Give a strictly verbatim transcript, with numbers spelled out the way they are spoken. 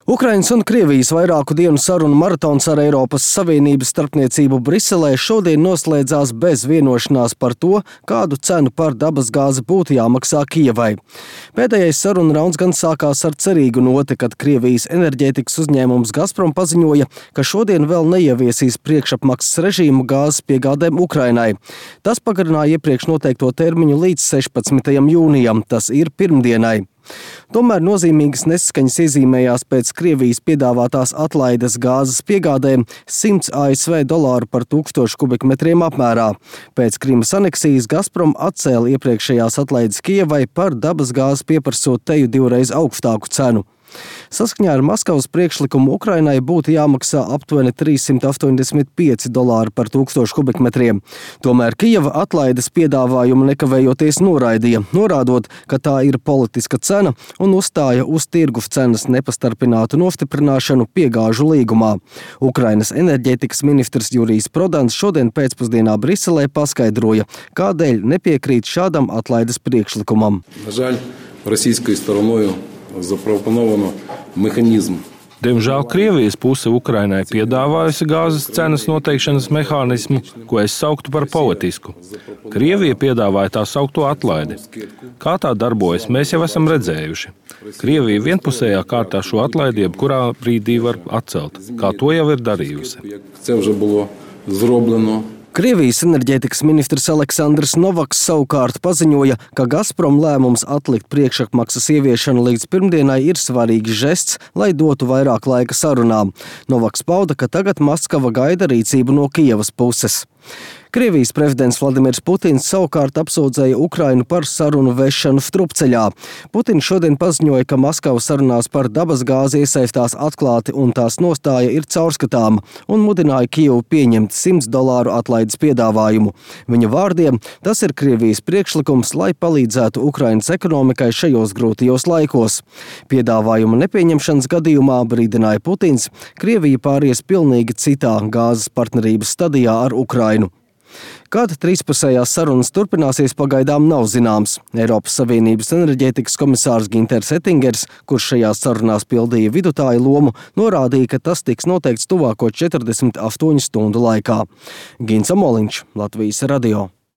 Ukrainas un Krievijas vairāku dienu sarunu maratons ar Eiropas Savienības starpniecību Briselē šodien noslēdzās bez vienošanās par to, kādu cenu par dabasgāzi būtu jāmaksā Kijevai. Pēdējais sarunu rauns gan sākās ar cerīgu noti, kad Krievijas enerģētikas uzņēmums Gazprom paziņoja, ka šodien vēl neieviesīs priekšapmaksas režīmu gāzes piegādēm Ukrainai. Tas pagarināja iepriekš noteikto termiņu līdz sešpadsmitajam jūnijam, tas ir pirmdienai. Tomēr nozīmīgas nesaskaņas iezīmējās pēc Krievijas piedāvātās atlaides gāzes piegādēm simts A S V dolāru par tūkstošu kubikmetriem apmērā. Pēc Krimas aneksijas Gazprom atcēla iepriekšējās atlaides Kijevai par dabasgāzi pieprasot teju divreiz augstāku cenu. Saskaņā ar Maskavas priekšlikumu Ukrainai būtu jāmaksā aptuveni trīs simti astoņdesmit pieci dolāri par tūkstošu kubikmetriem. Tomēr Kijeva atlaides piedāvājumu nekavējoties noraidīja, norādot, ka tā ir politiska cena un uzstāja uz tirgus cenas nepastarpinātu nostiprināšanu piegāžu līgumā. Ukrainas enerģētikas ministrs Jurijs Prodans šodien pēcpusdienā Briselē paskaidroja, kādēļ nepiekrīt šādam atlaides priekšlikumam. Запропоновано механизм. Diemžēl Krievijas puse Ukrainai piedāvājusi gāzes cenas noteikšanas mehānismu, ko es sauktu par politisku. Krievija piedāvāja tā saukto atlaidi. Kā tā darbojas, mēs jau esam redzējuši. Krievija vienpusējā kārtā šo atlaidi jebkurā brīdī var atcelt, kā to jau ir darījusi. Krievijas enerģētikas ministrs Aleksandrs Novaks savukārt paziņoja, ka Gazprom lēmums atlikt priekšapmaksas ieviešanu līdz pirmdienai ir svarīgs žests, lai dotu vairāk laika sarunām. Novaks pauda, ka tagad Maskava gaida rīcību no Kijevas puses. Krievijas prezidents Vladimirs Putins savukārt apsūdzēja Ukrainu par sarunu vešanu strupceļā. Putins šodien paziņoja, ka Maskava sarunās par dabasgāzi iesaistās atklāti un tās nostāja ir caurskatāma, un mudināja Kijevu pieņemt simts dolāru atlaides piedāvājumu. Viņa vārdiem, tas ir Krievijas priekšlikums, lai palīdzētu Ukrainas ekonomikai šajos grūtajos laikos. Piedāvājuma nepieņemšanas gadījumā, brīdināja Putins, Krievija pāries pilnīgi citā gāzes partnerības stadijā ar Ukrainu. Kad trīspusējās sarunas turpināsies, pagaidām nav zināms. Eiropas Savienības enerģētikas komisārs Ginters Ettingers, kurš šajās sarunās pildīja vidutāju lomu, norādīja, ka tas tiks noteikts tuvāko četrdesmit astoņu stundu laikā. Gins Amoliņš, Latvijas radio.